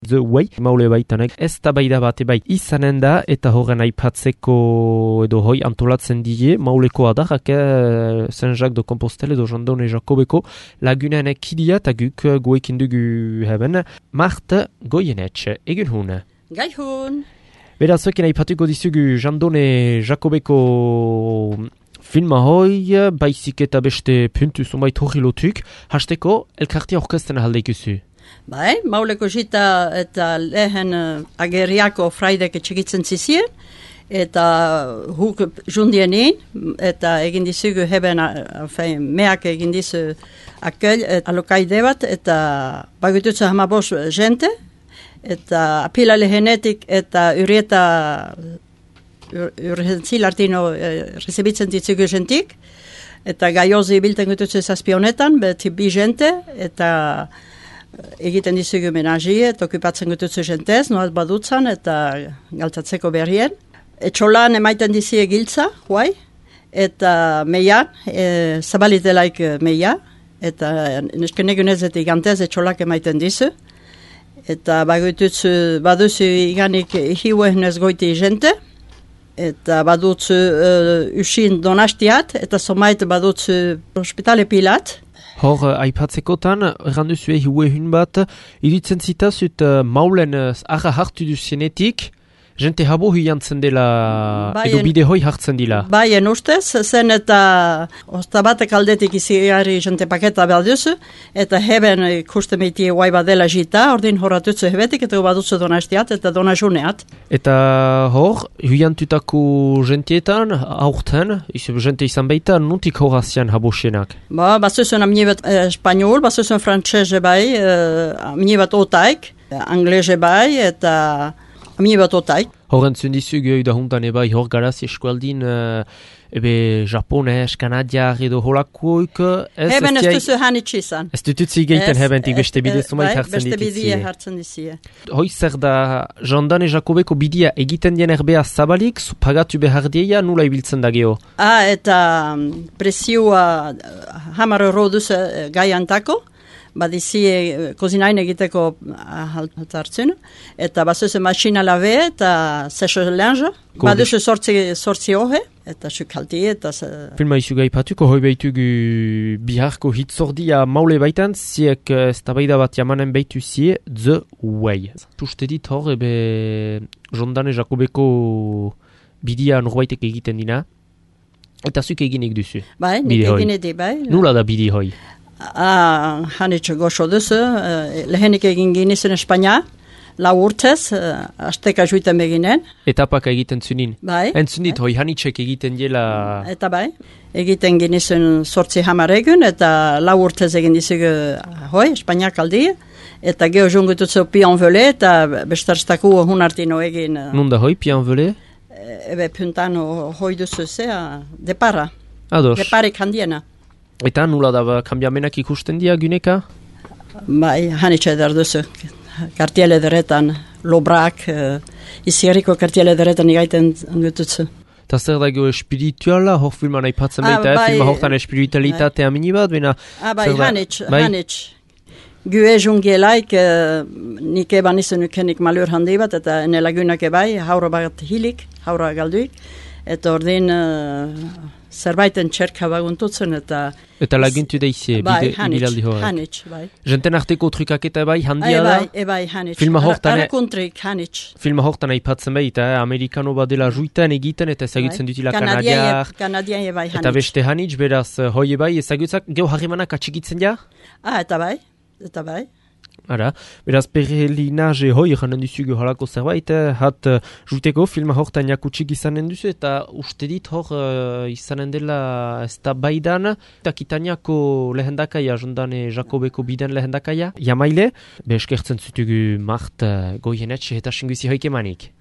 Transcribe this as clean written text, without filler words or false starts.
The Way, maule baitanek ez da baida bate bai izanen da, eta horren aipatzeko edo hoi antolatzen die, mauleko adarrak Saint-Jacques de Compostelle edo Jandone Jakobeko lagunen kidia eta guk goekin dugu heben, Marthe Goyenetxe, egun hun. Gai hun. Beraz, zoekin aipatuko dizugu Jandone Jakobeko filma hoi, baizik eta beste puntu zumait hori lotuk, hasteko elkartia orkesten ahaldeikuzu. Bai, mauleko jita eta lehen ageriako fraidek etxegitzen zizien, eta huk jundienin, eta egin dizugu heben, meak egin dizu akel, alokaide bat, eta bagututzu hamabos jente, eta apila lehenetik eta urieta urgentzil artino rezibitzen ditzugu jentik, eta gaiozi bilten gututzu zazpionetan, beti bi jente, eta egiten dizugu menagie, eta okupatzen gututzu jentez, noaz badutzan, eta galtzatzeko berrien. Etxolan emaiten dizie giltza, huai, eta meian, zabalitelaik meia, eta neskenegunezetik gantez etxolak emaiten dizu, eta baduzu iganik hiuehnez goiti jente, eta badutzu usin donastiat, eta somait badutzu hospitale pilat. Hor, aipatzekotan, erranduzu hiuehun bat, iruditzen zitazut maulen arra hartu duzienetik, jente habo hiantzen dela, edo bide hoi hartzen dila. Baien ustez, zen eta ostabatek aldetik izigarri jente paketa behar duzu, eta heben ikusten meitie guai badela jita, ordin horatutzu hebetik, eta badutzu donastiat, eta donajuneat. Eta hor, hiantutako jentietan, aurten, jente izan baita, nuntik horazian habosienak? Bazuzun amnibet espanyol, bazuzun frantzese bai, amnibet otaik, anglese bai, eta amni bat otaik. Horren zundizugu da hundan ebai hor garaz eskualdin ebe japones, kanadiar edo holakoik. Heben ez duzu hanitsi izan. Ez dututzi geiten hebentik beste bide zumait hartzen beste dititzie. bidea hartzen dizie. Hoi zer da Jandone Jakobeko bidia egiten dien erbea zabalik, pagatu behar dieia nula ibiltzen da geho? Eta presioa hamar euro duzu gaiantako, badizie kozinain egiteko hartzen, eta bazuze masina labe eta sesho lenja, baduze sortzi hoge, eta sukalti, eta... Filma izuga ipatuko, hoi behitugu biharko hitzordia maule baitan, ziek eztabaida bat jamanen behitu zie, The Way. Tuste dit hor, ebe Jandone Jakobeko bidia norbaitek egiten dina, eta zuk eginek duzu. Bai, nik egin edi, bai. Nula da bidi hoi? Hanitxe goxo duzu, lehenik egin ginizen Espainia, lau urtez, asteka juiten beginen. Etapaka egiten zunin? Bai. Entzunit, hoi hanitxek egiten dela... Eta bai, egiten ginizen sortzi hamar egun, eta lau urtez egin dizugu hoi, Espainiak aldi, eta geho jungututzu Pianvele, eta bestarstaku hunartino egin... Nunda hoi, Pianvele? Ebe puntano hoi duzu zea, depara. Ados. Deparik handiena. Eta nula da kambiamenak ikusten dia guneka? Bai, hanitxe edar duzu. Kartiele deretan, lobrak, izierriko kartiele deretan igaiten gututzu. Eta zer dago espirituala, hor filman aipatzen baita, filma hortan espiritualitatea minibat, bina... Bai, hanitx. Gue jungielaik, nik eban izan ukenik malur handi bat, eta ene lagunak ebai, haura bat hilik, haura galduik, eta ordin... zerbaiten txerka baguntutzen eta... Eta laguntu daizie, ibilaldi horrek. Hanitz, bai. Jenten arteko trukaketa bai, handia da? Bai, hanitz. Arakuntrik, hanitz. Filma hortan aipatzen baita, amerikano badela juitan egiten eta ezagutzen dutila kanadiar. Kanadian bai, hanitz. Eta beste hanitz, beraz, hoi bai, ezagutzak, geho harremanak atxigitzen ja? Eta bai. Ara, beraz, perelinaje hoi janen duzugu halako zerbait, hat juteko filma hortan jakutsik izanen duzu, eta uste dit hor izanen dela ez da baidan, eta Kitaniako lehendakaia, Jandone Jakobeko biden lehendakaia, jamaile, eskertzen zutugu Marthe Goyenetxe eta singuzi hoik emanik.